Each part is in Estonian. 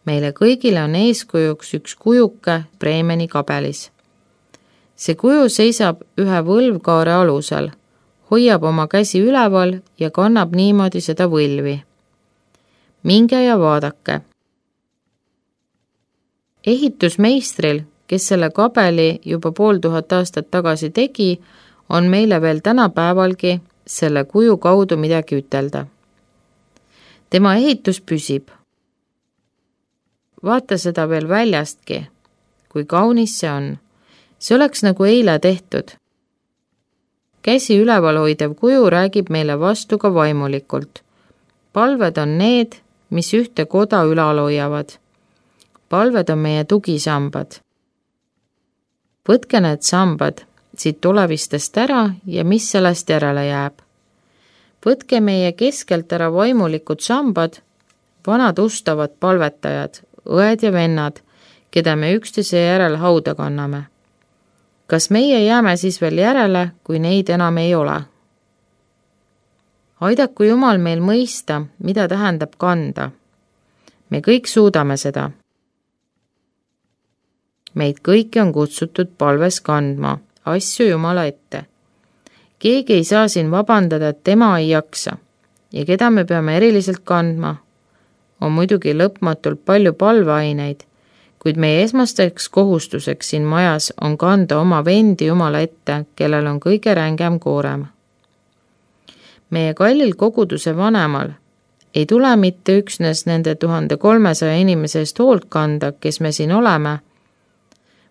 Meile kõigile on eeskujuks üks kujuke Bremeni kabelis. See kuju seisab ühe võlvkaare alusel, hoiab oma käsi üleval ja kannab niimoodi seda võlvi. Minge ja vaadake. Ehitusmeistril, kes selle kabeli juba 500 aastat tagasi tegi, on meile veel tänapäevalgi selle kuju kaudu midagi ütelda. Tema ehitus püsib. Vaata seda veel väljastki, kui kaunis see on. See oleks nagu eile tehtud. Käsi üleval hoidev kuju räägib meile vastu ka vaimulikult. Palved on need, mis ühte koda ülal hoiavad. Palved on meie tugisambad. Võtke need sambad siit tulevistest ära ja mis sellest järele jääb. Võtke meie keskelt ära vaimulikud sambad, vanad ustavad palvetajad, õed ja vennad, keda me üksteise järel hauda kanname. Kas meie jääme siis veel järele, kui neid enam ei ole? Aidaku Jumal meil mõista, mida tähendab kanda. Me kõik suudame seda. Meid kõiki on kutsutud palves kandma, asju Jumala ette. Keegi ei saa siin vabandada, et tema ei jaksa. Ja keda me peame eriliselt kandma? On muidugi lõpmatult palju palveaineid, kuid meie esmasteks kohustuseks siin majas on kanda oma vendi Jumala ette, kellel on kõige rängem koorem. Meie kallil koguduse vanemal ei tule mitte üksnes nende 1300 inimese eest hoolt kanda, kes me siin oleme,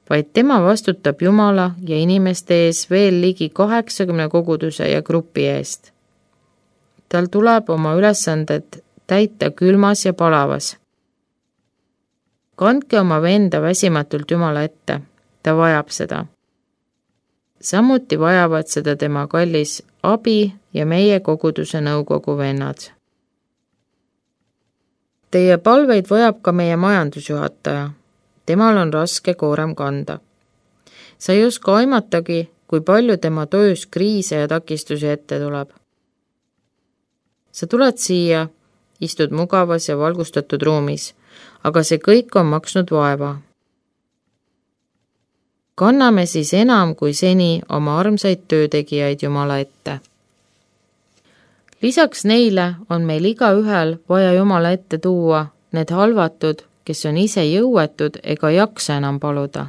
vaid tema vastutab Jumala ja inimeste ees veel ligi 80 koguduse ja grupi eest. Tal tuleb oma ülesanded täita külmas ja palavas. Kandke oma venda väsimatult Jumala ette, ta vajab seda. Samuti vajavad seda tema kallis abi ja meie koguduse nõukogu vennad. Teie palveid vajab ka meie majandusjuhataja. Temal on raske koorem kanda. Sa ei oska aimatagi, kui palju tema töös kriise ja takistusi ette tuleb. Sa tuled siia, istud mugavas ja valgustatud ruumis, aga see kõik on maksnud vaeva. Kanname siis enam kui seni oma armsaid töötegijaid Jumala ette. Lisaks neile on meil igaühel vaja Jumala ette tuua need halvatud, kes on ise jõuetud ega jaksa enam paluda.